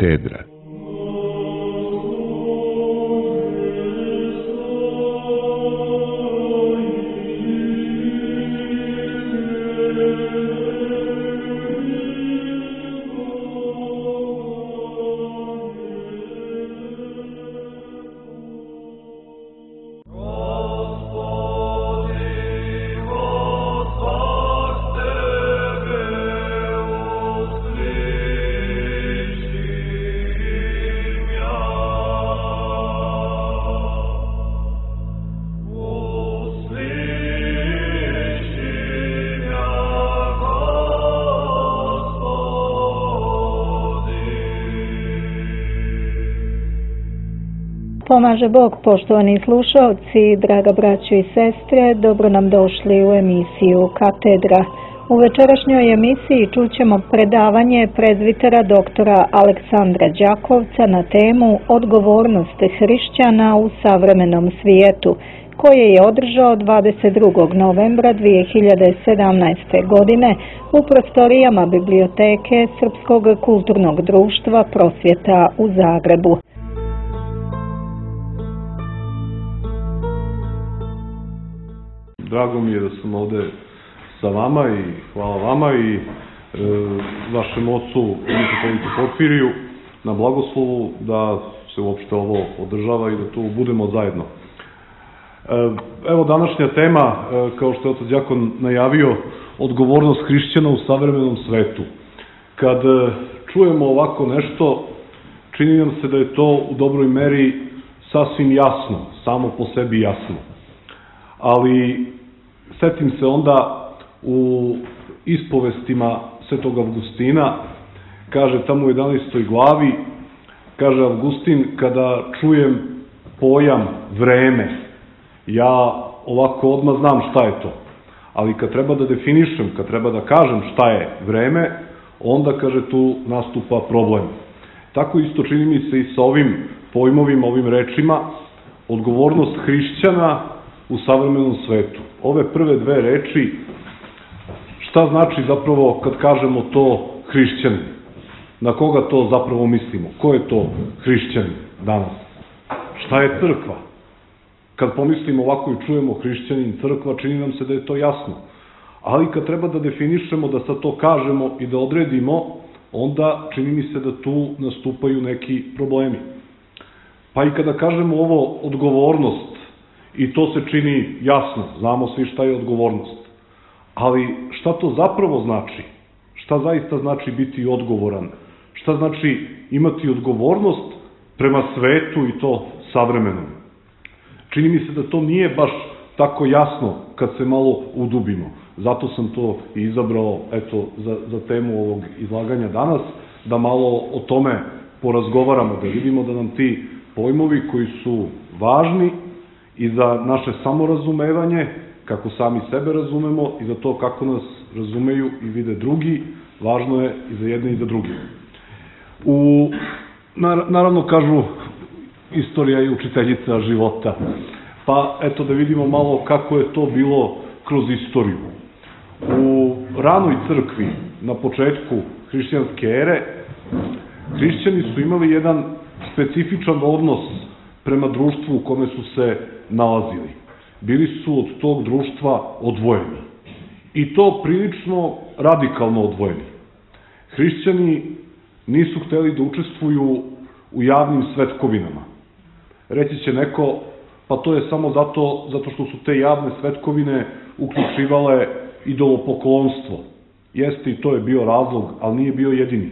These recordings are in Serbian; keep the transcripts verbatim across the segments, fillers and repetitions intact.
Katedra. Pomaže Bog, poštovani slušalci, draga braćo i sestre, dobro nam došli u emisiju Katedra. U večerašnjoj emisiji čućemo predavanje prezbitera doktora Aleksandra Đakovca na temu Odgovornost hrišćana u savremenom svijetu, koje je održao dvadeset drugog novembra dvije hiljade sedamnaeste. godine u prostorijama Biblioteke Srpskog kulturnog društva Prosvjeta u Zagrebu. Drago mi je da sam ovde sa vama i hvala vama i e, vašem ocu Nikotelicu Porfiriju na blagoslovu da se uopšte ovo održava i da tu budemo zajedno. E, evo današnja tema, e, kao što je otac đakon najavio, odgovornost hrišćana u savremenom svetu. Kad e, čujemo ovako nešto, čini nam se da je to u dobroj meri sasvim jasno, samo po sebi jasno. Ali setim se onda u ispovestima Svetog Avgustina, kaže tamo u jedanaestoj glavi, kaže Avgustin, kada čujem pojam vreme, ja ovako odmah znam šta je to. Ali kad treba da definišem, kad treba da kažem šta je vreme, onda, kaže, tu nastupa problem. Tako isto čini mi se i sa ovim pojmovima, ovim rečima, odgovornost hrišćana u savremenom svetu. Ove prve dve reči, šta znači zapravo kad kažemo to hrišćanin? Na koga to zapravo mislimo? Ko je to hrišćanin danas? Šta je crkva? Kad pomislimo ovako i čujemo hrišćanin, crkva, čini nam se da je to jasno. Ali kad treba da definišemo, da sad to kažemo i da odredimo, onda čini mi se da tu nastupaju neki problemi. Pa i kada kažemo ovo odgovornost, i to se čini jasno, znamo svi šta je odgovornost. Ali šta to zapravo znači? Šta zaista znači biti odgovoran? Šta znači imati odgovornost prema svetu i to savremenom? Čini mi se da to nije baš tako jasno kad se malo udubimo. Zato sam to i izabrao, eto, za, za temu ovog izlaganja danas, da malo o tome porazgovaramo, da vidimo da nam ti pojmovi koji su važni i za naše samorazumevanje, kako sami sebe razumemo i za to kako nas razumeju i vide drugi, važno je i za jedne i za druge. U, naravno, kažu, istorija je učiteljica života, pa eto da vidimo malo kako je to bilo kroz istoriju. U ranoj crkvi, na početku hrišćanske ere, hrišćani su imali jedan specifičan odnos prema društvu u kome su se nalazili. Bili su od tog društva odvojeni. I to prilično radikalno odvojeni. Hrišćani nisu hteli da učestvuju u javnim svetkovinama. Reći će neko, pa to je samo zato, zato što su te javne svetkovine uključivale idolopoklonstvo. Jeste, i to je bio razlog, ali nije bio jedini.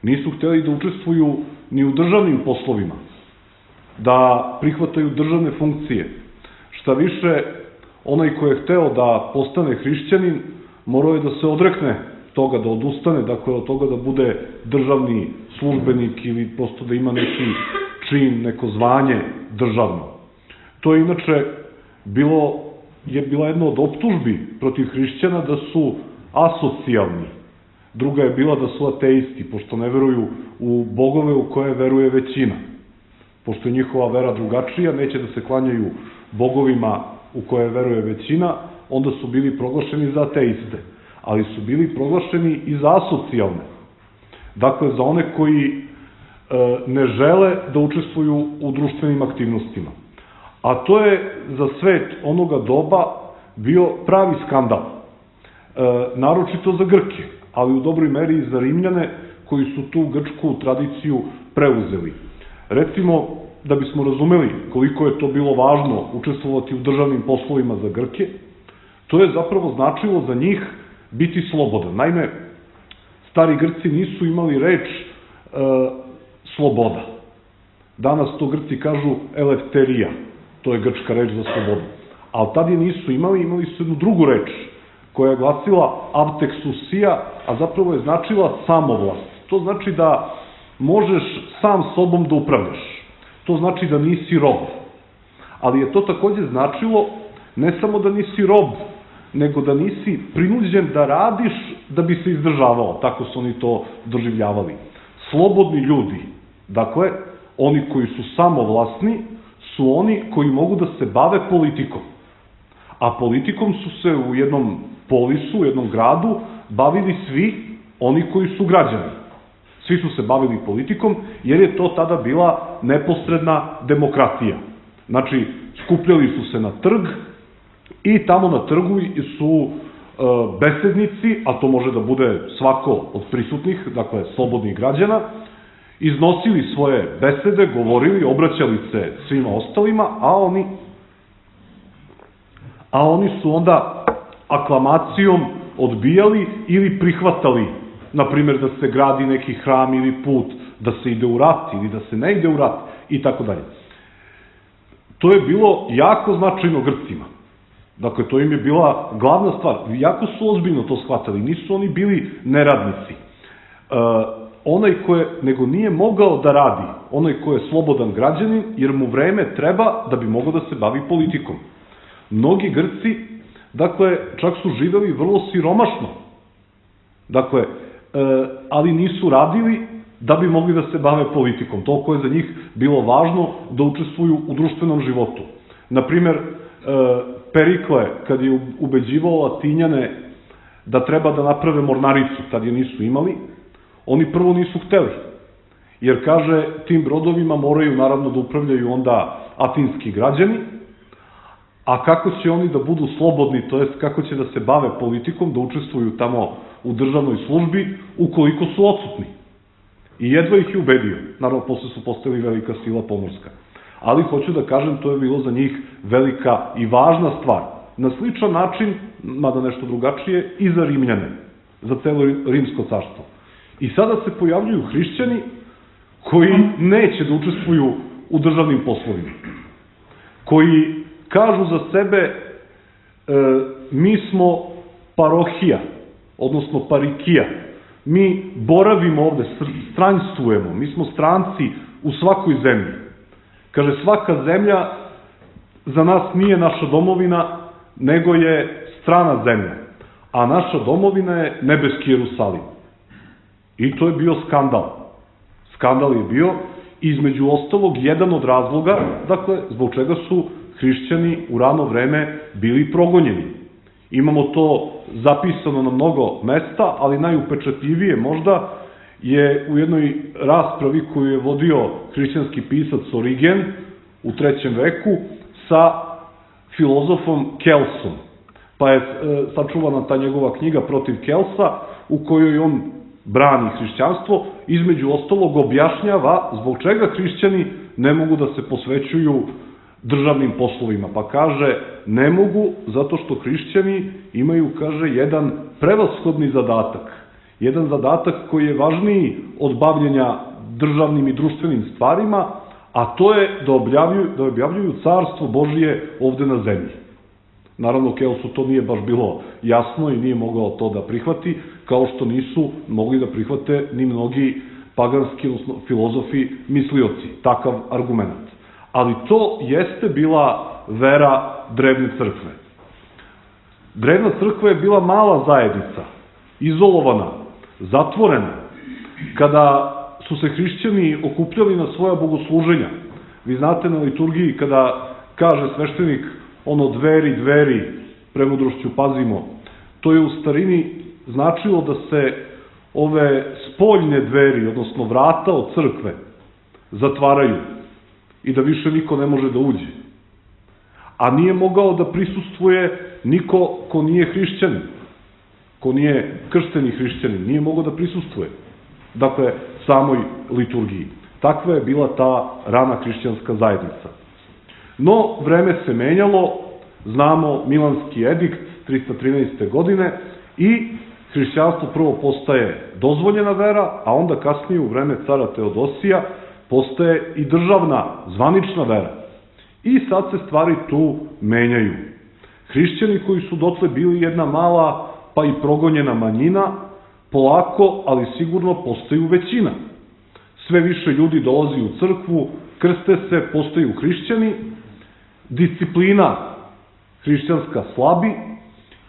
Nisu hteli da učestvuju ni u državnim poslovima, da prihvataju državne funkcije. Šta više, onaj ko je hteo da postane hrišćanin, morao je da se odrekne toga, da odustane, dakle od toga da bude državni službenik ili prosto da ima neki čin, neko zvanje državno. To je inače bilo, je bila jedna od optužbi protiv hrišćana da su asocijalni. Druga je bila da su ateisti, pošto ne veruju u bogove u koje veruje većina. Pošto je njihova vera drugačija, neće da se klanjaju bogovima u koje veruje većina, onda su bili proglašeni za ateiste, ali su bili proglašeni i za asocijalne. Dakle, za one koji ne žele da učestvuju u društvenim aktivnostima. A to je za svet onoga doba bio pravi skandal. Naročito za Grke, ali u dobroj meri i za Rimljane koji su tu grčku tradiciju preuzeli. Recimo, da bismo razumeli koliko je to bilo važno učestvovati u državnim poslovima za Grke, to je zapravo značilo za njih biti slobodan. Naime, stari Grci nisu imali reč e, sloboda. Danas to Grci kažu elefterija, to je grčka reč za slobodu. Ali tad je nisu imali, imali su jednu drugu reč koja je glasila avtexusia, a zapravo je značila samovlast. To znači da možeš sam sobom da upravljaš. To znači da nisi rob. Ali je to takođe značilo ne samo da nisi rob, nego da nisi prinuđen da radiš da bi se izdržavao. Tako su oni to doživljavali. Slobodni ljudi, dakle, oni koji su samovlasni, su oni koji mogu da se bave politikom. A politikom su se u jednom polisu, u jednom gradu, bavili svi oni koji su građani. Svi su se bavili politikom, jer je to tada bila neposredna demokratija. Znači, skupljali su se na trg i tamo na trgu su besednici, a to može da bude svako od prisutnih, dakle, slobodnih građana, iznosili svoje besede, govorili, obraćali se svima ostalima, a oni, a oni su onda aklamacijom odbijali ili prihvatali, na primjer, da se gradi neki hram ili put, da se ide u rat ili da se ne ide u rat i tako dalje. To je bilo jako značajno Grcima. Dakle, to im je bila glavna stvar. Jako su ozbiljno to shvatali. Nisu oni bili neradnici. E, onaj ko je, nego nije mogao da radi, onaj ko je slobodan građanin, jer mu vreme treba da bi mogao da se bavi politikom. Mnogi Grci, dakle, čak su živeli vrlo siromašno. Dakle, e, ali nisu radili da bi mogli da se bave politikom. Toliko je za njih bilo važno da učestvuju u društvenom životu. Naprimer, Perikle, kad je ubeđivao Latinjane da treba da naprave mornaricu, tad je nisu imali, oni prvo nisu hteli. Jer, kaže, tim brodovima moraju naravno da upravljaju onda atinski građani, a kako će oni da budu slobodni, to jest kako će da se bave politikom, da učestvuju tamo u državnoj službi, ukoliko su odsutni. I jedva ih je ubedio. Naravno, posle su postali velika sila pomorska. Ali, hoću da kažem, to je bilo za njih velika i važna stvar. Na sličan način, mada nešto drugačije, i za Rimljane, za celo Rimsko carstvo. I sada se pojavljuju hrišćani koji neće da učestvuju u državnim poslovima. Koji kažu za sebe, e, mi smo parohija, odnosno parikija. Mi boravimo ovde, stranjstvujemo, mi smo stranci u svakoj zemlji. Kaže, svaka zemlja za nas nije naša domovina, nego je strana zemlja. A naša domovina je nebeski Jerusalim. I to je bio skandal. Skandal je bio, između ostalog, jedan od razloga, dakle, zbog čega su hrišćani u rano vreme bili progonjeni. Imamo to zapisano na mnogo mesta, ali najupečatljivije možda je u jednoj raspravi koju je vodio hrišćanski pisac Origen u trećem veku sa filozofom Kelsom. Pa je sačuvana ta njegova knjiga Protiv Kelsa, u kojoj on brani hrišćanstvo, između ostalog objašnjava zbog čega hrišćani ne mogu da se posvećuju državnim poslovima. Pa kaže, ne mogu zato što hrišćani imaju, kaže, jedan prevashodni zadatak. Jedan zadatak koji je važniji od bavljenja državnim i društvenim stvarima, a to je da objavljuju, da objavljuju carstvo Božije ovde na zemlji. Naravno, Kelsu to nije baš bilo jasno i nije mogao to da prihvati, kao što nisu mogli da prihvate ni mnogi paganski, odnosno filozofi, mislioci, takav argument. Ali to jeste bila vera drevne crkve. Drevna crkva je bila mala zajednica, izolovana, zatvorena. Kada su se hrišćani okupljali na svoja bogosluženja, vi znate na liturgiji kada kaže sveštenik ono dveri, dveri, premudrošću pazimo, to je u starini značilo da se ove spoljne dveri, odnosno vrata od crkve, zatvaraju i da više niko ne može da uđe. A nije mogao da prisustvuje niko ko nije hrišćanin, ko nije kršteni hrišćanin, nije mogao da prisustvuje, dakle, samoj liturgiji. Takva je bila ta rana hrišćanska zajednica. No, vreme se menjalo, znamo Milanski edikt trista trinaeste. godine i hrišćanstvo prvo postaje dozvoljena vera, a onda kasnije u vreme cara Teodosija postaje i državna, zvanična vera. I sad se stvari tu menjaju. Hrišćani koji su dotle bili jedna mala, pa i progonjena manjina, polako, ali sigurno postaju većina. Sve više ljudi dolazi u crkvu, krste se, postaju hrišćani, disciplina hrišćanska slabi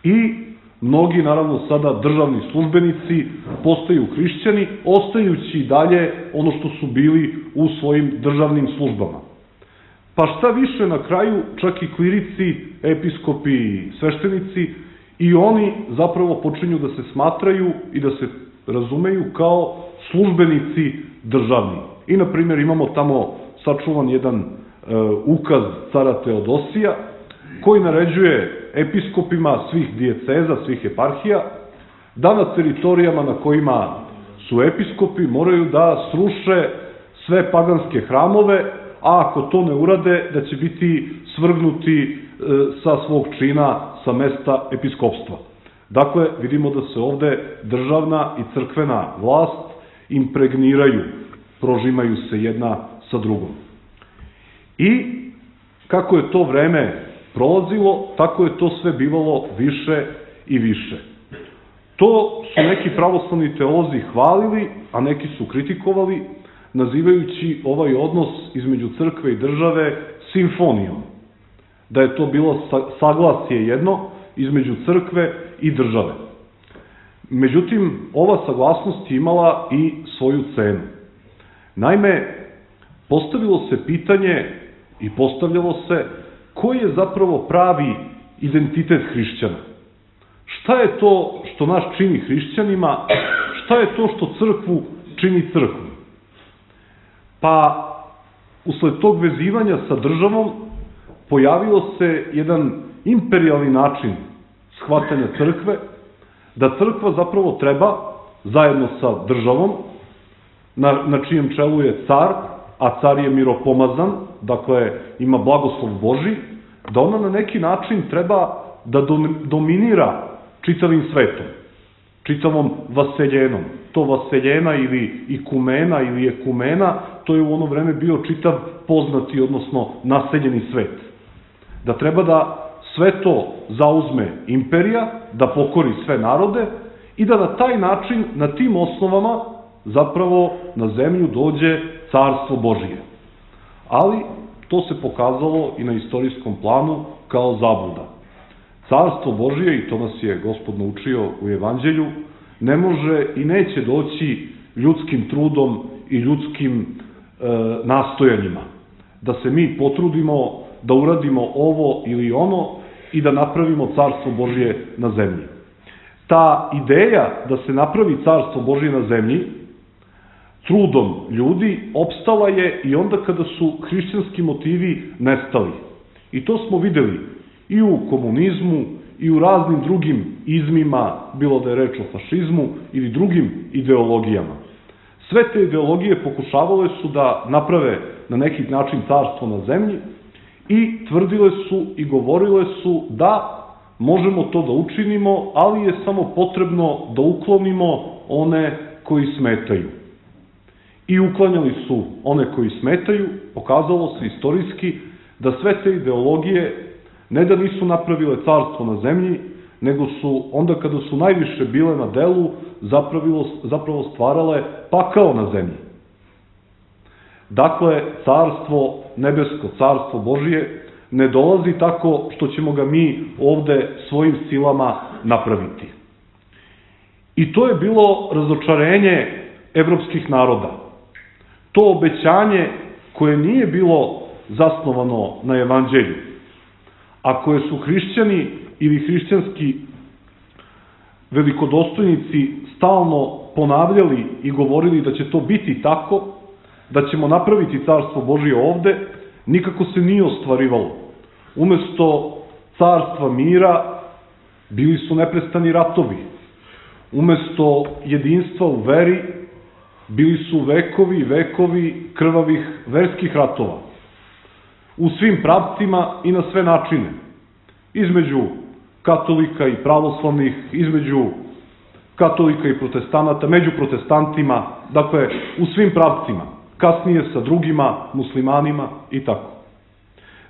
i mnogi, naravno sada državni službenici, postaju hrišćani, ostajući dalje ono što su bili u svojim državnim službama. Pa šta više, na kraju, čak i klirici, episkopi i sveštenici, i oni zapravo počinju da se smatraju i da se razumeju kao službenici državni. I, na primjer, imamo tamo sačuvan jedan e, ukaz cara Teodosija, koji naređuje episkopima svih dijeceza, svih eparhija, da na teritorijama na kojima su episkopi moraju da sruše sve paganske hramove, a ako to ne urade, da će biti svrgnuti e, sa svog čina, sa mesta episkopstva. Dakle, vidimo da se ovde državna i crkvena vlast impregniraju, prožimaju se jedna sa drugom. I kako je to vreme prolazilo, tako je to sve bivalo više i više. To su neki pravoslavni teolozi hvalili, a neki su kritikovali, nazivajući ovaj odnos između crkve i države simfonijom. Da je to bilo saglasje jedno između crkve i države. Međutim, ova saglasnost je imala i svoju cenu. Naime, postavilo se pitanje i postavljalo se koji je zapravo pravi identitet hrišćana. Šta je to što nas čini hrišćanima, šta je to što crkvu čini crkvu? Pa, usled tog vezivanja sa državom, pojavio se jedan imperijalni način shvatanja crkve, da crkva zapravo treba, zajedno sa državom, na, na čijem čelu je car, a car je miropomazan, dakle ima blagoslov Božji, da ona na neki način treba da dominira čitavim svetom, čitavom vaseljenom. To vaseljena ili ikumena ili ekumena, to je u ono vreme bio čitav poznati, odnosno naseljeni svet. Da treba da sve to zauzme imperija, da pokori sve narode i da na taj način, na tim osnovama, zapravo na zemlju dođe carstvo Božije. Ali to se pokazalo i na istorijskom planu kao zabluda. Carstvo Božije, i to nas je Gospod naučio u Evanđelju, ne može i neće doći ljudskim trudom i ljudskim e, nastojanjima. Da se mi potrudimo da uradimo ovo ili ono i da napravimo carstvo Božije na zemlji. Ta ideja da se napravi carstvo Božije na zemlji trudom ljudi opstala je i onda kada su hrišćanski motivi nestali. I to smo videli i u komunizmu i u raznim drugim izmima, bilo da je reč o fašizmu ili drugim ideologijama. Sve te ideologije pokušavale su da naprave na neki način carstvo na zemlji i tvrdile su i govorile su da možemo to da učinimo, ali je samo potrebno da uklonimo one koji smetaju. I uklanjali su one koji smetaju, pokazalo se istorijski da sve te ideologije ne da nisu napravile carstvo na zemlji, nego su onda kada su najviše bile na delu zapravo, zapravo stvarale pakao na zemlji. Dakle, carstvo nebesko, carstvo Božije ne dolazi tako što ćemo ga mi ovde svojim silama napraviti. I to je bilo razočarenje evropskih naroda. To obećanje koje nije bilo zasnovano na Evanđelju, a koje su hrišćani ili hrišćanski velikodostojnici stalno ponavljali i govorili da će to biti tako, da ćemo napraviti carstvo Božije ovde, nikako se nije ostvarivalo. Umesto carstva mira, bili su neprestani ratovi. Umesto jedinstva u veri, bili su vekovi i vekovi krvavih verskih ratova. U svim pravcima i na sve načine. Između katolika i pravoslavnih, između katolika i protestanata, među protestantima, dakle, u svim pravcima, kasnije sa drugima, muslimanima i tako.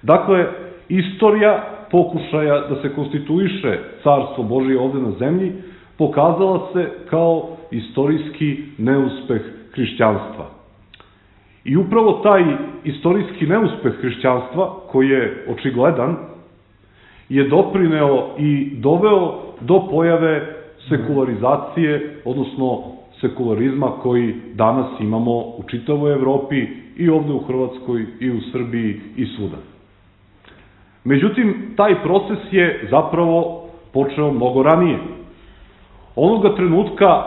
Dakle, istorija pokušaja da se konstituiše carstvo Božije ovde na zemlji pokazala se kao istorijski neuspeh hrišćanstva. I upravo taj istorijski neuspeh hrišćanstva, koji je očigledan, je doprineo i doveo do pojave sekularizacije, odnosno sekularizma koji danas imamo u čitavoj Evropi i ovde u Hrvatskoj i u Srbiji i svuda. Međutim, taj proces je zapravo počeo mnogo ranije. Onoga trenutka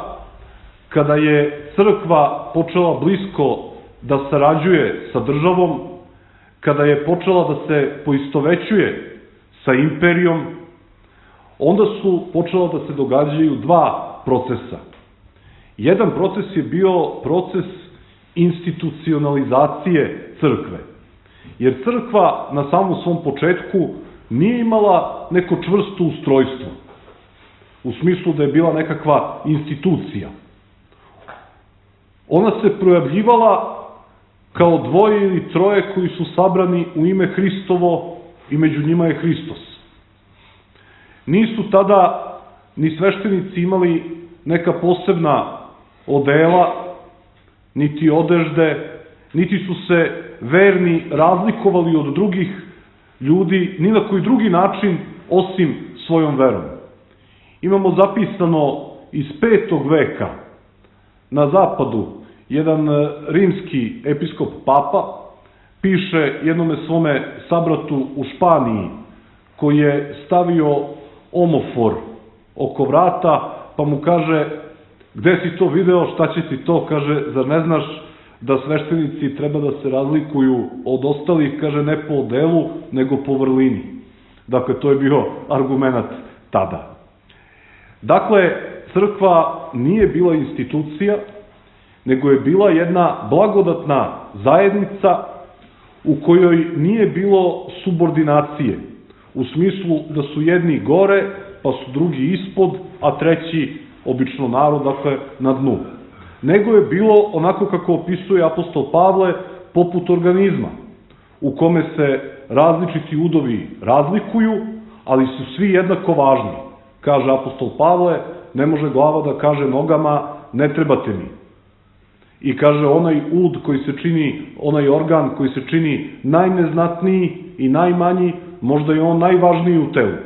kada je crkva počela blisko da sarađuje sa državom, kada je počela da se poistovećuje sa imperijom, onda su počela da se događaju dva procesa. Jedan proces je bio proces institucionalizacije crkve. Jer crkva na samom svom početku nije imala neko čvrsto ustrojstvo. U smislu da je bila nekakva institucija. Ona se projavljivala kao dvoje ili troje koji su sabrani u ime Hristovo i među njima je Hristos. Nisu tada ni sveštenici imali neka posebna odela, niti odežde, niti su se verni razlikovali od drugih ljudi ni na koji drugi način osim svojom verom. Imamo zapisano iz petog veka na zapadu jedan rimski episkop papa piše jednome svome sabratu u Španiji koji je stavio omofor oko vrata pa mu kaže: gde si to video, šta će ti to? Kaže: zar ne znaš da sveštenici treba da se razlikuju od ostalih, kaže, ne po odelu, nego po vrlini. Dakle, to je bio argument tada. Dakle, crkva nije bila institucija, nego je bila jedna blagodatna zajednica u kojoj nije bilo subordinacije, u smislu da su jedni gore, pa su drugi ispod, a treći, obično narod, dakle, na dnu. Nego je bilo, onako kako opisuje apostol Pavle, poput organizma, u kome se različiti udovi razlikuju, ali su svi jednako važni. Kaže apostol Pavle, ne može glava da kaže nogama, ne trebate mi. I kaže, onaj ud koji se čini, onaj organ koji se čini najneznatniji i najmanji, možda je on najvažniji u telu.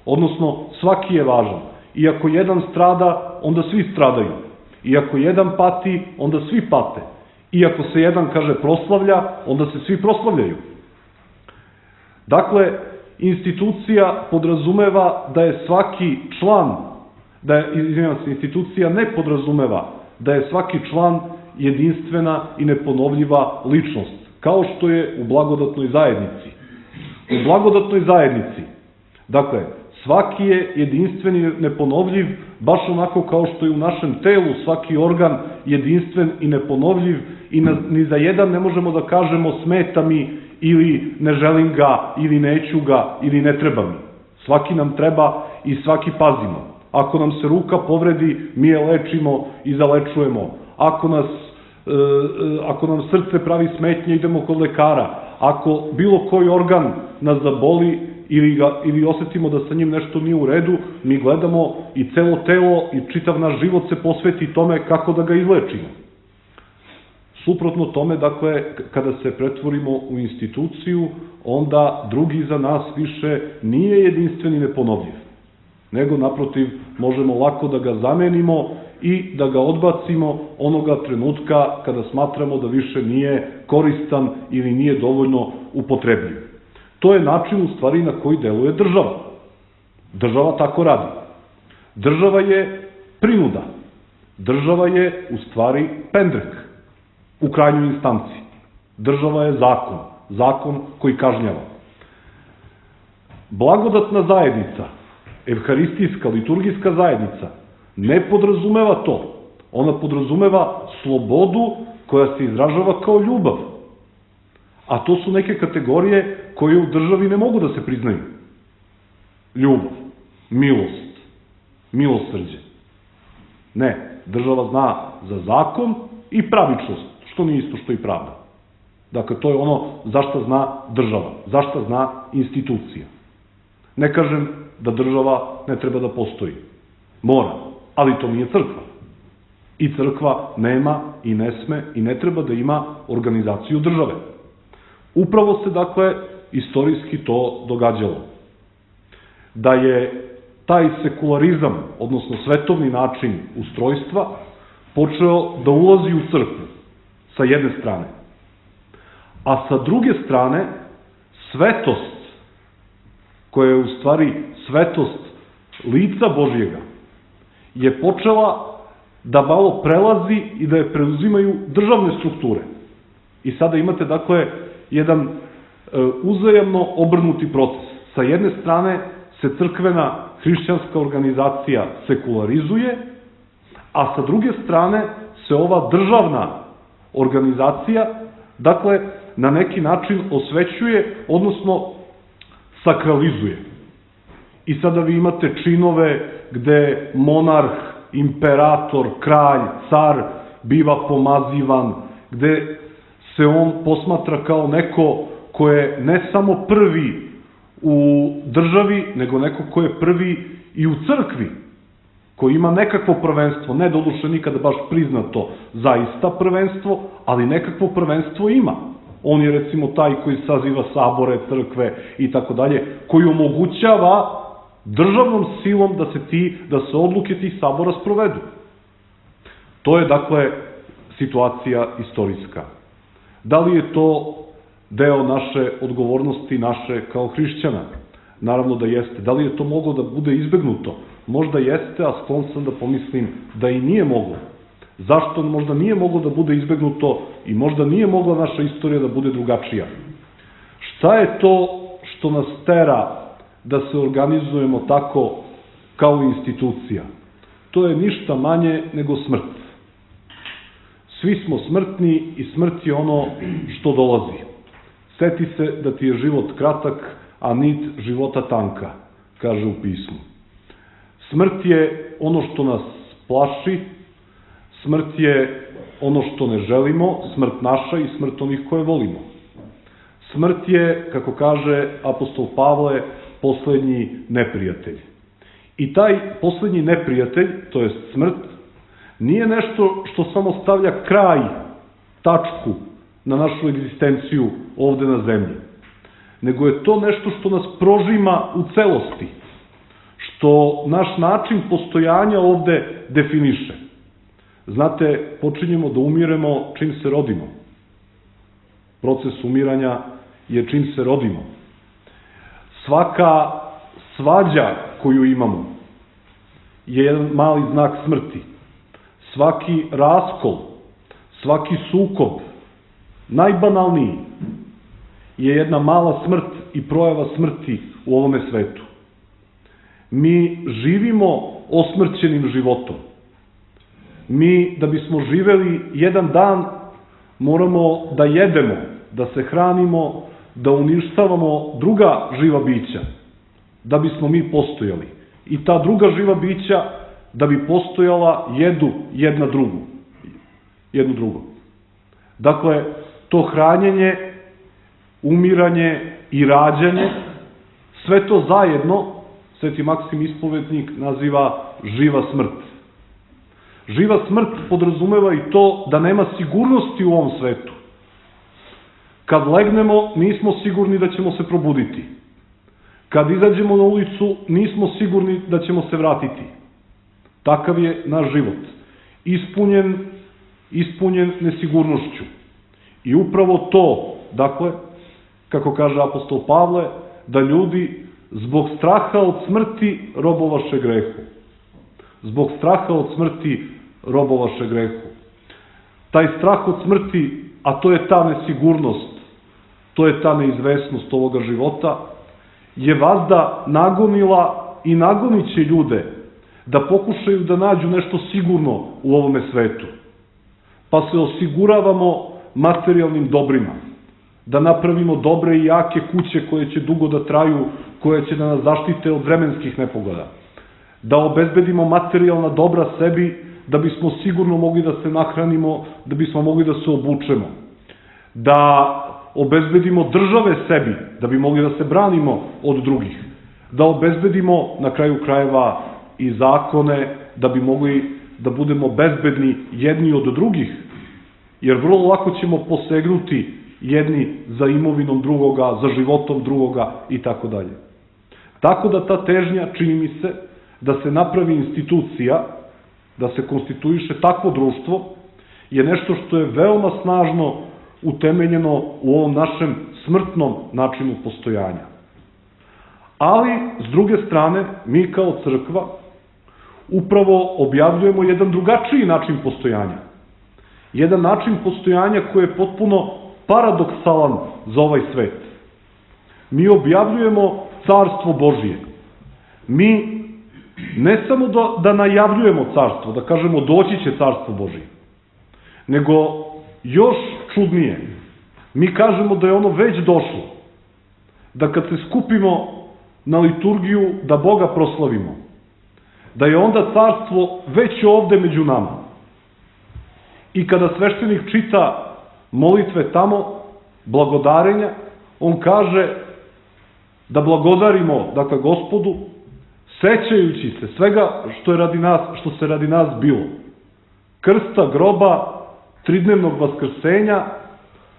Odnosno, svaki je važan. I ako jedan strada, onda svi stradaju. I ako jedan pati, onda svi pate. I ako se jedan, kaže, proslavlja, onda se svi proslavljaju. Dakle, institucija podrazumeva da je svaki član, da je, izvinjam se, institucija ne podrazumeva da je svaki član jedinstvena i neponovljiva ličnost, kao što je u blagodatnoj zajednici. U blagodatnoj zajednici, dakle, svaki je jedinstven i neponovljiv, baš onako kao što je u našem telu svaki organ jedinstven i neponovljiv i na, ni za jedan ne možemo da kažemo smeta mi ili ne želim ga ili neću ga ili ne treba mi. Svaki nam treba i svaki pazimo. Ako nam se ruka povredi, mi je lečimo i zalečujemo. Ako nas, e, ako nam srce pravi smetnje, idemo kod lekara. Ako bilo koji organ nas zaboli, Ili, ga, ili osetimo da sa njim nešto nije u redu, mi gledamo i celo telo i čitav naš život se posveti tome kako da ga izlečimo. Suprotno tome, dakle, kada se pretvorimo u instituciju, onda drugi za nas više nije jedinstven i neponovljiv, nego naprotiv možemo lako da ga zamenimo i da ga odbacimo onoga trenutka kada smatramo da više nije koristan ili nije dovoljno upotrebljiv. To je način, u stvari, na koji deluje država. Država tako radi. Država je prinuda. Država je, u stvari, pendrek. u krajnjoj instanci. Država je zakon, zakon koji kažnjava. Blagodatna zajednica, evharistijska, liturgijska zajednica, ne podrazumeva to. Ona podrazumeva slobodu koja se izražava kao ljubav. A to su neke kategorije koje u državi ne mogu da se priznaju. Ljubav, milost, milosrđe. Ne, država zna za zakon i pravičnost, što nije isto što i pravda. Dakle, to je ono za šta zna država, za šta zna institucija. Ne kažem da država ne treba da postoji. Mora, ali to nije crkva. I crkva nema i ne sme i ne treba da ima organizaciju države. Upravo se, dakle, istorijski to događalo. Da je taj sekularizam, odnosno svetovni način ustrojstva, počeo da ulazi u crkvu, sa jedne strane. A sa druge strane, svetost, koja je u stvari svetost lica Božjega, je počela da malo prelazi i da je preuzimaju državne strukture. I sada imate, dakle, jedan e, uzajamno obrnuti proces. Sa jedne strane se crkvena hrišćanska organizacija sekularizuje, a sa druge strane se ova državna organizacija, dakle, na neki način osvećuje, odnosno sakralizuje. I sada vi imate činove gde monarh, imperator, kralj, car biva pomazivan, gde se on posmatra kao neko ko je ne samo prvi u državi, nego neko ko je prvi i u crkvi, koji ima nekakvo prvenstvo, ne doduše nikada baš priznato zaista prvenstvo, ali nekakvo prvenstvo ima. On je recimo taj koji saziva sabore, crkve i tako dalje, koji omogućava državnom silom da se ti, da se odluke tih sabora sprovedu. To je, dakle, situacija istorijska. Da li je to deo naše odgovornosti, naše kao hrišćana? Naravno da jeste. Da li je to moglo da bude izbegnuto? Možda jeste, a sklon sam da pomislim da i nije moglo. Zašto možda nije moglo da bude izbegnuto i možda nije mogla naša istorija da bude drugačija? Šta je to što nas tera da se organizujemo tako kao institucija? To je ništa manje nego smrt. Svi smo smrtni i smrt je ono što dolazi. Seti se da ti je život kratak, a nit života tanka, kaže u pismu. Smrt je ono što nas plaši, smrt je ono što ne želimo, smrt naša i smrt onih koje volimo. Smrt je, kako kaže apostol Pavle, poslednji neprijatelj. I taj poslednji neprijatelj, to jest smrt, nije nešto što samo stavlja kraj, tačku na našu egzistenciju ovde na zemlji, nego je to nešto što nas prožima u celosti, što naš način postojanja ovde definiše. Znate, počinjemo da umiremo čim se rodimo. Proces umiranja je čim se rodimo. Svaka svađa koju imamo je jedan mali znak smrti. Svaki raskol, svaki sukob, najbanalniji, je jedna mala smrt i projava smrti u ovome svetu. Mi živimo osmrćenim životom. Mi, da bismo živeli jedan dan, moramo da jedemo, da se hranimo, da uništavamo druga živa bića, da bismo mi postojali. I ta druga živa bića, da bi postojala, jedu jedna drugu. Jednu drugu. Dakle, to hranjenje, umiranje i rađanje, sve to zajedno, Sveti Maksim Ispovednik naziva živa smrt. Živa smrt podrazumeva i to da nema sigurnosti u ovom svetu. Kad legnemo, nismo sigurni da ćemo se probuditi. Kad izađemo na ulicu, nismo sigurni da ćemo se vratiti. Takav je naš život. Ispunjen, ispunjen nesigurnošću. I upravo to, dakle, kako kaže apostol Pavle, da ljudi zbog straha od smrti robovaše grehu. Zbog straha od smrti robovaše grehu. taj strah od smrti, a to je ta nesigurnost, to je ta neizvesnost ovoga života, je vazda nagonila i nagonit će ljude da pokušaju da nađu nešto sigurno u ovome svetu. Pa se osiguravamo materijalnim dobrima, da napravimo dobre i jake kuće koje će dugo da traju, koje će da nas zaštite od vremenskih nepogoda, da obezbedimo materijalna dobra sebi, da bismo sigurno mogli da se nahranimo, da bismo mogli da se obučemo, da obezbedimo države sebi, da bi mogli da se branimo od drugih, da obezbedimo na kraju krajeva i zakone, da bi mogli da budemo bezbedni jedni od drugih, jer vrlo lako ćemo posegnuti jedni za imovinom drugoga, za životom drugoga i tako dalje. Tako da ta težnja, čini mi se, da se napravi institucija, da se konstituiše takvo društvo, je nešto što je veoma snažno utemeljeno u ovom našem smrtnom načinu postojanja. Ali, s druge strane, mi kao crkva upravo objavljujemo jedan drugačiji način postojanja. Jedan način postojanja koji je potpuno paradoksalan za ovaj svet. Mi objavljujemo Carstvo Božije. Mi ne samo da, da najavljujemo carstvo, da kažemo doći će Carstvo Božije, nego još čudnije, mi kažemo da je ono već došlo, da kad se skupimo na liturgiju da Boga proslavimo, da je onda carstvo već ovde među nama. I kada sveštenik čita molitve tamo, blagodarenja, on kaže da blagodarimo, dakle, Gospodu, sećajući se svega što je radi nas, što se radi nas bilo. Krsta, groba, tridnevnog vaskrsenja,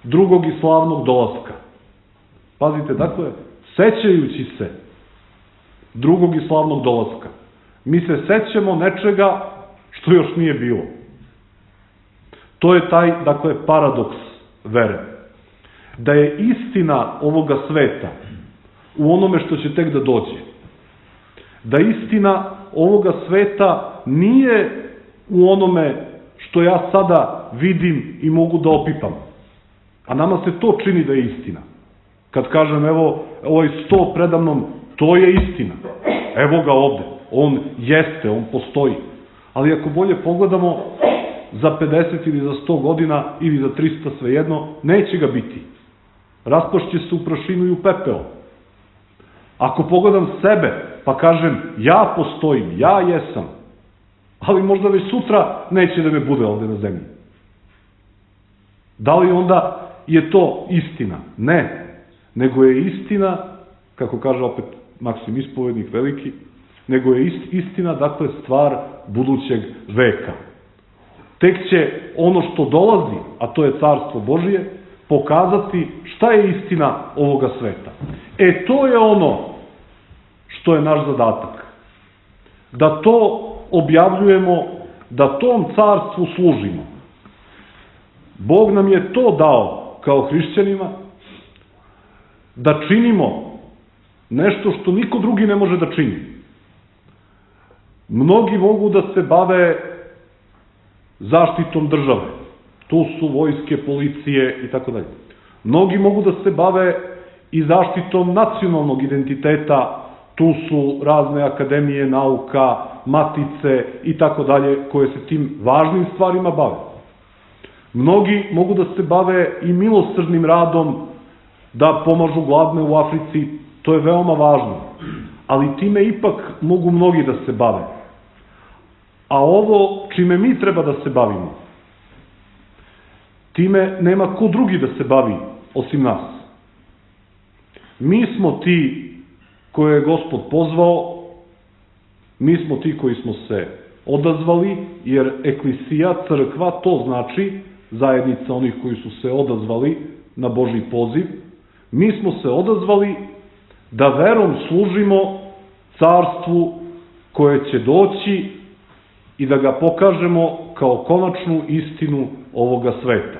drugog i slavnog dolaska. Pazite, dakle, sećajući se drugog i slavnog dolaska. Mi se sećamo nečega što još nije bilo. To je taj, dakle, paradoks vere. Da je istina ovoga sveta u onome što će tek da dođe. Da istina ovoga sveta nije u onome što ja sada vidim i mogu da opipam. A nama se to čini da je istina. Kad kažem, evo, ovaj sto predamnom, to je istina. Evo ga ovde. On jeste, on postoji. Ali ako bolje pogledamo, za pedeset ili za sto godina, ili za trista, svejedno, neće ga biti. Raspašće se u prašinu i u pepeo. Ako pogledam sebe, pa kažem, ja postojim, ja jesam, ali možda već sutra neće da me bude ovde na zemlji. Da li onda je to istina? Ne. Nego je istina, kako kaže opet Maksim Ispovednik veliki, nego je istina, dakle, stvar budućeg veka. Tek će ono što dolazi, a to je Carstvo Božije, pokazati šta je istina ovoga sveta. E, to je ono što je naš zadatak. Da to objavljujemo, da tom carstvu služimo. Bog nam je to dao kao hrišćanima, da činimo nešto što niko drugi ne može da čini. Mnogi mogu da se bave zaštitom države. Tu su vojske, policije i tako dalje. Mnogi mogu da se bave i zaštitom nacionalnog identiteta. Tu su razne akademije nauka, matice i tako dalje, koje se tim važnim stvarima bave. Mnogi mogu da se bave i milosrdnim radom, da pomažu gladne u Africi, to je veoma važno. Ali time ipak mogu mnogi da se bave. A ovo čime mi treba da se bavimo, time nema ko drugi da se bavi osim nas. Mi smo ti koje je Gospod pozvao, mi smo ti koji smo se odazvali, jer eklisija, crkva, to znači zajednica onih koji su se odazvali na Božji poziv. Mi smo se odazvali da verom služimo carstvu koje će doći i da ga pokažemo kao konačnu istinu ovoga sveta.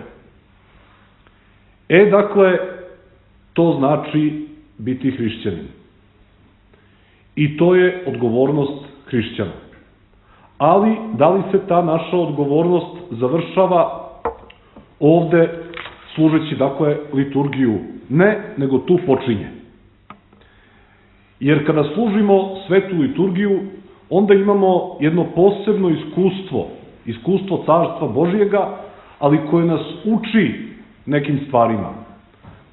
E, dakle, to znači biti hrišćanin. I to je odgovornost hrišćana. Ali, da li se ta naša odgovornost završava ovde služeći, dakle, liturgiju. Ne, nego tu počinje. Jer kada služimo svetu liturgiju, onda imamo jedno posebno iskustvo, iskustvo Carstva Božijega, ali koje nas uči nekim stvarima.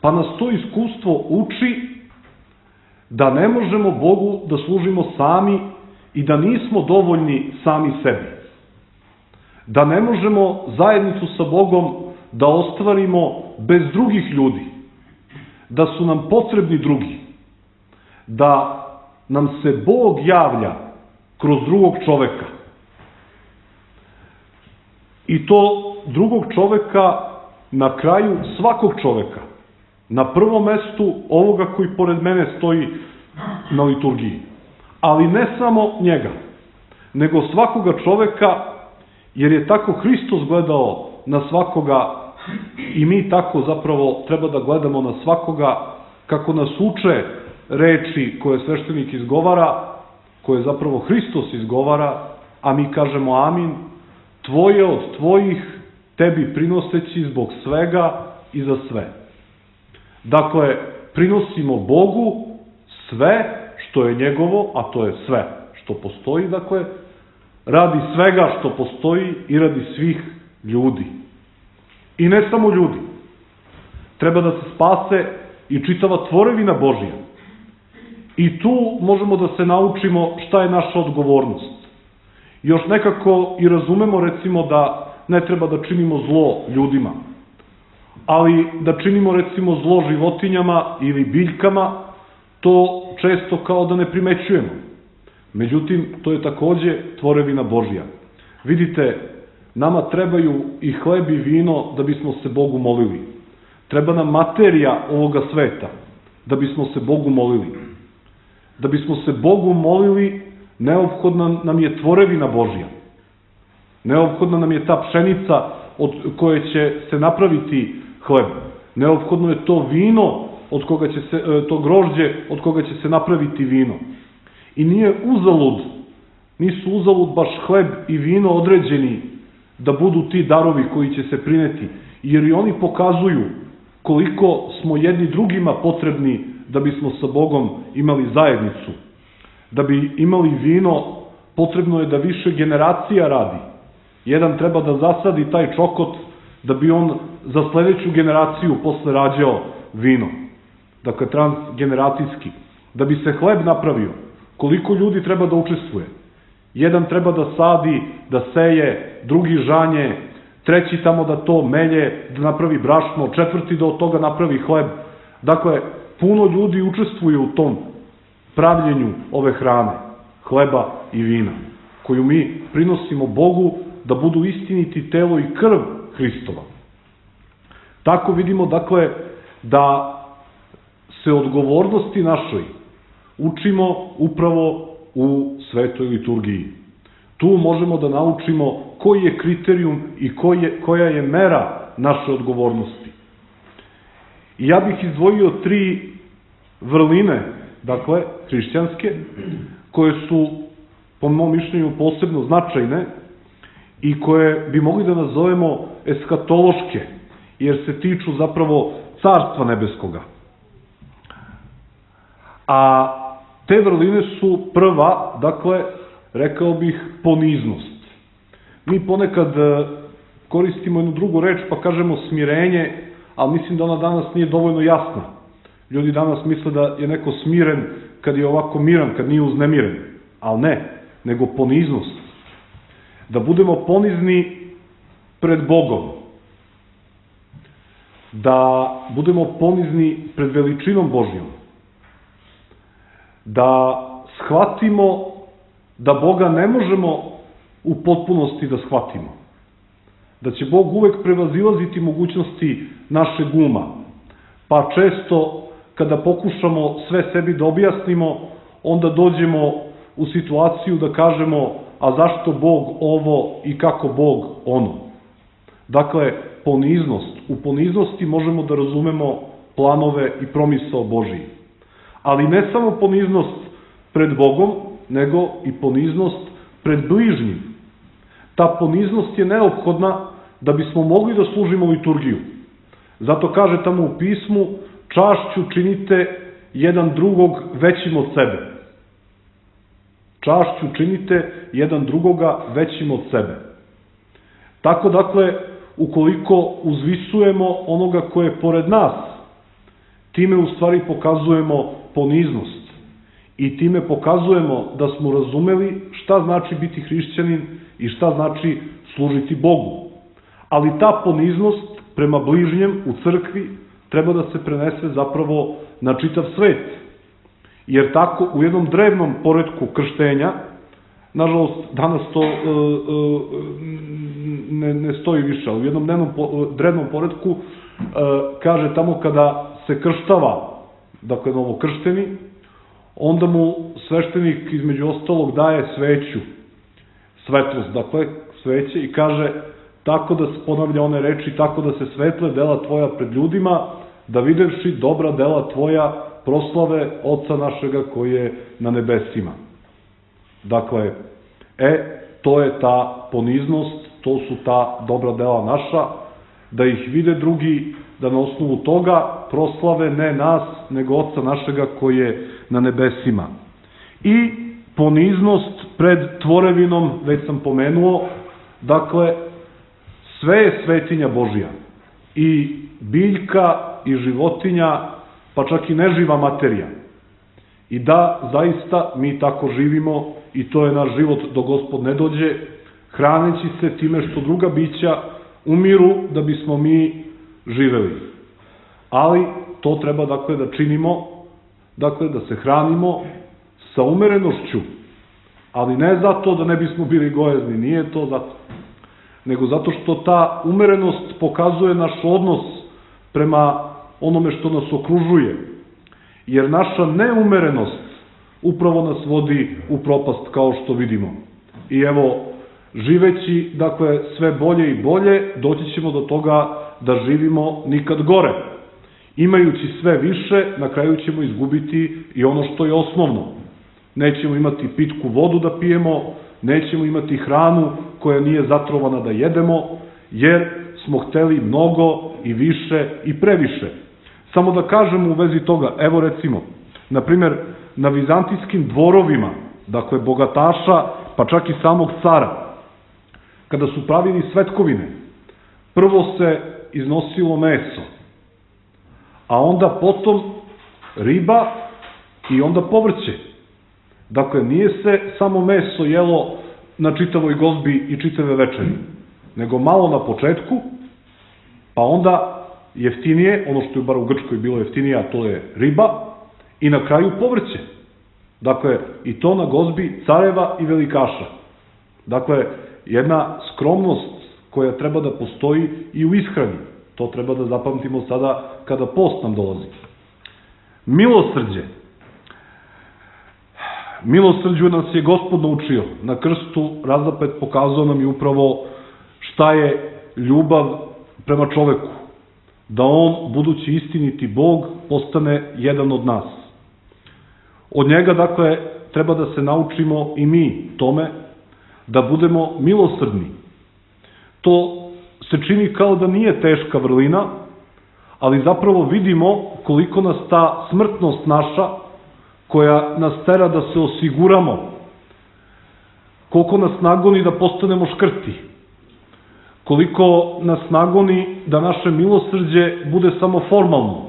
Pa nas to iskustvo uči da ne možemo Bogu da služimo sami i da nismo dovoljni sami sebi. Da ne možemo zajednicu sa Bogom da ostvarimo bez drugih ljudi. Da su nam potrebni drugi. Da nam se Bog javlja kroz drugog čoveka. I to drugog čoveka na kraju svakog čoveka. Na prvom mestu ovoga koji pored mene stoji na liturgiji. Ali ne samo njega, nego svakoga čoveka, jer je tako Hristos gledao na svakoga i mi tako zapravo treba da gledamo na svakoga, kako nas uče reči koje sveštenik izgovara, koje zapravo Hristos izgovara, a mi kažemo amin, tvoje od tvojih, tebi prinoseći zbog svega i za sve. Dakle, prinosimo Bogu sve što je njegovo, a to je sve što postoji, dakle, radi svega što postoji i radi svih ljudi. I ne samo ljudi. Treba da se spase i čitava tvorevina Božja. I tu možemo da se naučimo šta je naša odgovornost. Još nekako i razumemo, recimo, da ne treba da činimo zlo ljudima, ali da činimo, recimo, zlo životinjama ili biljkama, to često kao da ne primećujemo. Međutim, to je takođe tvorevina Božja. Vidite, nama trebaju i hleb i vino da bismo se Bogu molili. Treba nam materija ovoga sveta da bismo se Bogu molili. Da bismo se Bogu molili, neophodna nam je tvorevina Božja. Neophodna nam je ta pšenica od koje će se napraviti hleb. Neophodno je to vino, od koga će se, to grožđe od koga će se napraviti vino. I nije uzalud, nisu uzalud baš hleb i vino određeni da budu ti darovi koji će se prineti, jer i oni pokazuju koliko smo jedni drugima potrebni da bismo sa Bogom imali zajednicu. Da bi imali vino, potrebno je da više generacija radi. Jedan treba da zasadi taj čokot da bi on za sledeću generaciju posle rađao vino. Dakle, transgeneracijski. Da bi se hleb napravio, koliko ljudi treba da učestvuje. Jedan treba da sadi, da seje, drugi žanje, treći tamo da to melje, da napravi brašno, četvrti da od toga napravi hleb. Dakle, puno ljudi učestvuje u tom pravljenju ove hrane, hleba i vina, koju mi prinosimo Bogu da budu istiniti telo i krv Hristova. Tako vidimo, dakle, da se odgovornosti našoj učimo upravo u svetoj liturgiji. Tu možemo da naučimo koji je kriterijum i koja je mera naše odgovornosti. I ja bih izdvojio tri vrline, dakle, hrišćanske, koje su, po mom mišljenju, posebno značajne i koje bi mogli da nazovemo eskatološke, jer se tiču zapravo Carstva nebeskoga. A te vrline su prva, dakle, rekao bih, poniznost. Mi ponekad koristimo jednu drugu reč pa kažemo smirenje, ali mislim da ona danas nije dovoljno jasna. Ljudi danas misle da je neko smiren kad je ovako miran, kad nije uznemiren. Ali ne, nego poniznost. Da budemo ponizni pred Bogom. Da budemo ponizni pred veličinom Božjom. Da shvatimo da Boga ne možemo u potpunosti da shvatimo. Da će Bog uvek prevazilaziti mogućnosti našeg uma. Pa često, kada pokušamo sve sebi da objasnimo, onda dođemo u situaciju da kažemo, a zašto Bog ovo i kako Bog ono. Dakle, poniznost. U poniznosti možemo da razumemo planove i promisao Božiji. Ali ne samo poniznost pred Bogom, nego i poniznost pred bližnjim. Ta poniznost je neophodna da bismo mogli da služimo liturgiju. Zato kaže tamo u pismu, čašću činite jedan drugog većim od sebe. Čašću činite jedan drugoga većim od sebe. Tako dakle, ukoliko uzvisujemo onoga koje je pored nas, time u stvari pokazujemo poniznost i time pokazujemo da smo razumeli šta znači biti hrišćanin i šta znači služiti Bogu. Ali ta poniznost prema bližnjem u crkvi treba da se prenese zapravo na čitav svet. Jer tako u jednom drevnom poretku krštenja, nažalost danas to e, e, ne, ne stoji više, ali u jednom dnevnom, drevnom poretku e, kaže tamo kada se krštava, dakle novokršteni, onda mu sveštenik između ostalog daje sveću, svetlost, dakle sveće i kaže tako da se ponavlja one reči, tako da se svetle dela tvoja pred ljudima, da videvši dobra dela tvoja proslave Oca našega koji je na nebesima. Dakle, e, to je ta poniznost, to su ta dobra dela naša, da ih vide drugi, da na osnovu toga proslave ne nas, nego Oca našega koji je na nebesima. I poniznost pred tvorevinom, već sam pomenuo, dakle, sve je svetinja Božja. I biljka, i životinja, pa čak i neživa materija. I da, zaista, mi tako živimo i to je naš život dok Gospod ne dođe, hraneći se time što druga bića umiru da bismo mi živeli. Ali to treba, dakle, da činimo, dakle, da se hranimo sa umerenošću, ali ne zato da ne bismo bili gojezni, nije to zato, nego zato što ta umerenost pokazuje naš odnos prema onome što nas okružuje. Jer naša neumerenost upravo nas vodi u propast, kao što vidimo. I evo, živeći, dakle, sve bolje i bolje, doći ćemo do toga da živimo nikad gore. Imajući sve više, na kraju ćemo izgubiti i ono što je osnovno. Nećemo imati pitku vodu da pijemo, nećemo imati hranu koja nije zatrovana da jedemo, jer smo hteli mnogo i više i previše. Samo da kažemo u vezi toga, evo recimo, na primjer, na vizantijskim dvorovima, dakle bogataša, pa čak i samog cara, kada su pravili svetkovine, prvo se iznosilo meso, a onda potom riba i onda povrće. Dakle, nije se samo meso jelo na čitavoj gozbi i čitave večeri, nego malo na početku, pa onda jeftinije, ono što je bar u Grčkoj bilo jeftinije, a to je riba, i na kraju povrće. Dakle, i to na gozbi careva i velikaša. Dakle, jedna skromnost koja treba da postoji i u ishrani. To treba da zapamtimo sada kada post nam dolazi. Milosrđe. Milosrđu nas je Gospod naučio. Na krstu razapet pokazao nam je upravo šta je ljubav prema čoveku. Da on, budući istiniti Bog, postane jedan od nas. Od njega, dakle, treba da se naučimo i mi tome, da budemo milosrdni. To se čini kao da nije teška vrlina, ali zapravo vidimo koliko nas ta smrtnost naša, koja nas tera da se osiguramo, koliko nas nagoni da postanemo škrti, koliko nas nagoni da naše milosrđe bude samo formalno,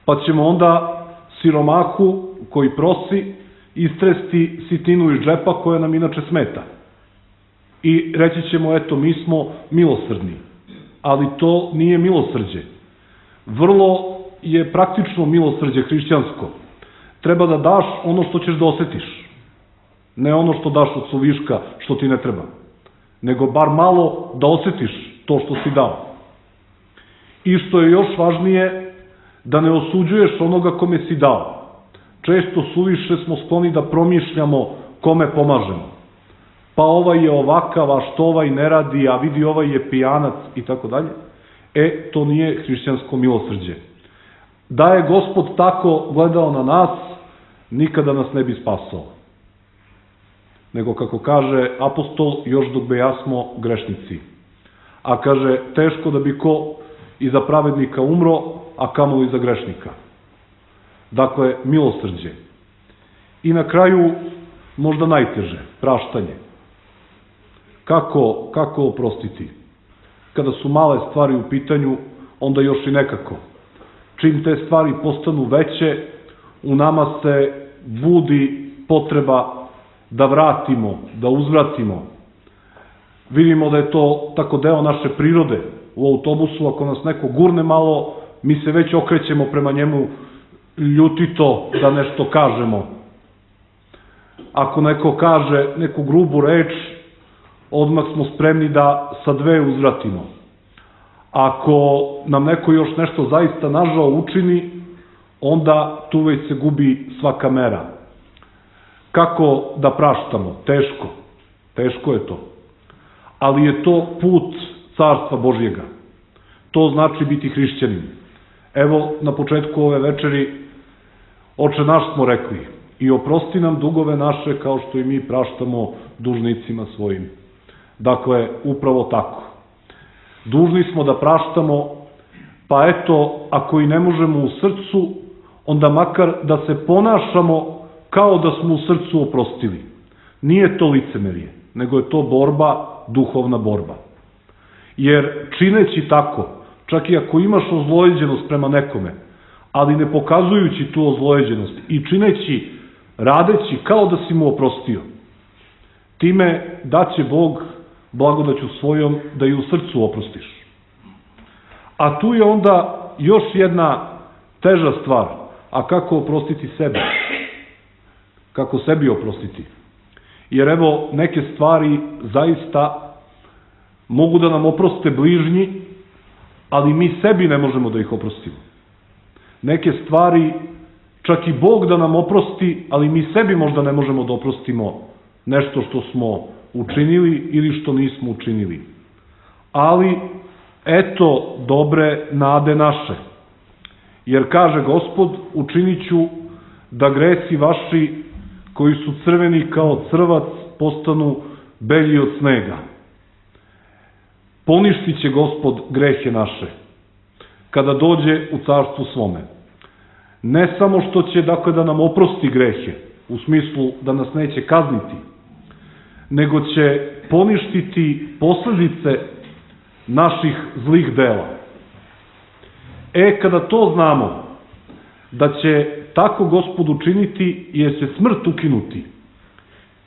pa ćemo onda siromahu koji prosi istresti sitinu iz džepa koja nam inače smeta. I reći ćemo, eto, mi smo milosrdni, ali to nije milosrđe. Vrlo je praktično milosrđe hrišćansko. Treba da daš ono što ćeš da osetiš, ne ono što daš od suviška što ti ne treba, nego bar malo da osetiš to što si dao. I što je još važnije, da ne osuđuješ onoga kome si dao. Često suviše smo skloni da promišljamo kome pomažemo. Pa ovaj je ovakav, a što ovaj ne radi, a vidi ovaj je pijanac i tako dalje. E, to nije hrišćansko milosrđe. Da je Gospod tako gledao na nas, nikada nas ne bi spasao. Nego, kako kaže apostol, još dok bejasmo grešnici. a kaže, teško da bi ko i za pravednika umro, a kamoli za grešnika. Dakle, milosrđe. I na kraju, možda najteže, praštanje. Kako, kako oprostiti? Kada su male stvari u pitanju, onda još i nekako. Čim te stvari postanu veće, u nama se budi potreba da vratimo, da uzvratimo. Vidimo da je to tako deo naše prirode. U autobusu, ako nas neko gurne malo, mi se već okrećemo prema njemu ljutito da nešto kažemo. Ako neko kaže neku grubu reč, odmah smo spremni da sa dve uzvratimo. Ako nam neko još nešto zaista nažao učini, onda tu već se gubi svaka mera. Kako da praštamo? Teško. Teško je to. Ali je to put Carstva Božjega. To znači biti hrišćanin. Evo, na početku ove večeri, Oče naš smo rekli, i oprosti nam dugove naše kao što i mi praštamo dužnicima svojim. Dakle, upravo tako. Dužni smo da praštamo, pa eto, ako i ne možemo u srcu, onda makar da se ponašamo kao da smo u srcu oprostili. Nije to licemerje, nego je to borba, duhovna borba. Jer čineći tako, čak i ako imaš ozlojeđenost prema nekome, ali ne pokazujući tu ozlojeđenost i čineći, radeći kao da si mu oprostio, time daće Bog blagodaću svojom da i u srcu oprostiš. A tu je onda još jedna teža stvar, a kako oprostiti sebe? Kako sebi oprostiti? Jer evo, neke stvari zaista mogu da nam oproste bližnji, ali mi sebi ne možemo da ih oprostimo. Neke stvari čak i Bog da nam oprosti, ali mi sebi možda ne možemo da oprostimo nešto što smo učinili ili što nismo učinili. Ali, eto dobre nade naše. Jer kaže Gospod, učinit ću da gresi vaši koji su crveni kao crvac postanu belji od snega. Poništit će Gospod grehe naše kada dođe u carstvu svome. Ne samo što će, dakle, da nam oprosti grehe, u smislu da nas neće kazniti, nego će poništiti posledice naših zlih dela. E, kada to znamo, da će tako Gospod učiniti, jer će smrt ukinuti,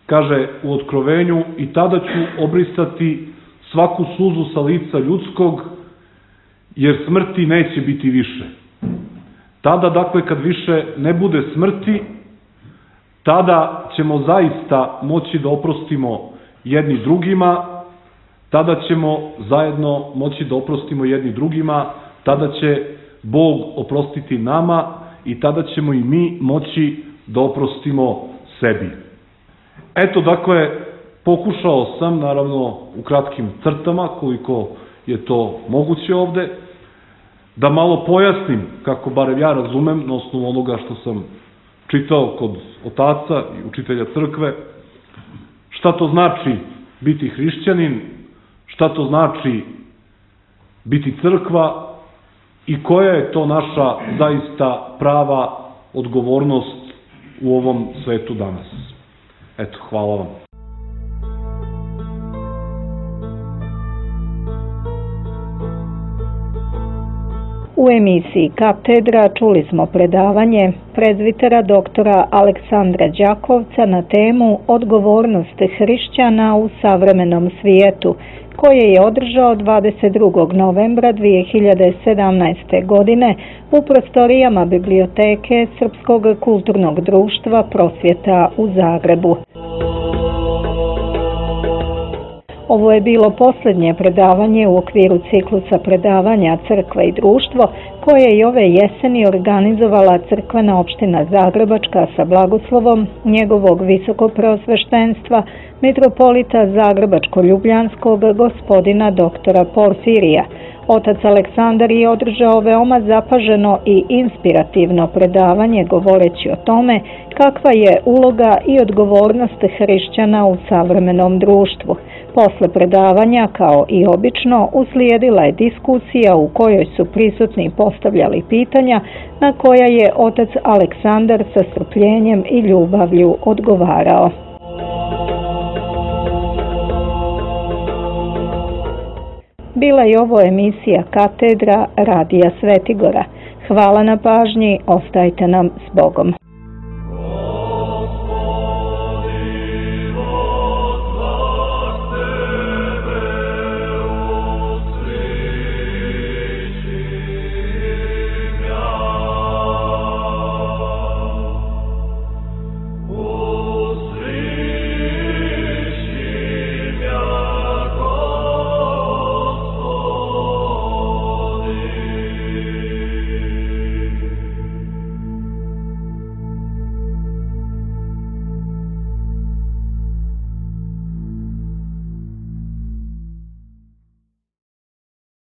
kaže u Otkrovenju, i tada ću obrisati svaku suzu sa lica ljudskog, jer smrti neće biti više. Tada, dakle, kad više ne bude smrti, tada ćemo zaista moći da oprostimo jedni drugima, tada ćemo zajedno moći da oprostimo jedni drugima, tada će Bog oprostiti nama i tada ćemo i mi moći da oprostimo sebi. Eto, dakle, pokušao sam, naravno, u kratkim crtama, koliko je to moguće ovde, da malo pojasnim, kako barem ja razumem, na osnovu onoga što sam čitao kod otaca i učitelja crkve, šta to znači biti hrišćanin, šta to znači biti crkva i koja je to naša zaista prava odgovornost u ovom svetu danas. Eto, hvala vam. U emisiji Katedra čuli smo predavanje prezbitera doktora Aleksandra Đakovca na temu Odgovornost hrišćana u savremenom svijetu, koje je održao dvadeset drugog novembra dvije hiljade sedamnaeste. godine u prostorijama Biblioteke Srpskog kulturnog društva Prosvjeta u Zagrebu. Ovo je bilo posljednje predavanje u okviru ciklusa predavanja Crkva i društvo, koje je i ove jeseni organizovala crkvena opština Zagrebačka sa blagoslovom njegovog visokopreosveštenstva, mitropolita Zagrebačko-Ljubljanskog gospodina doktora Porfirija. Otac Aleksandar je održao veoma zapaženo i inspirativno predavanje govoreći o tome kakva je uloga i odgovornost hrišćana u savremenom društvu. Posle predavanja, kao i obično, uslijedila je diskusija u kojoj su prisutni postavljali pitanja na koja je otac Aleksandar sa strpljenjem i ljubavlju odgovarao. Bila je ovo emisija Katedra Radija Svetigora. Hvala na pažnji, ostajte nam s Bogom.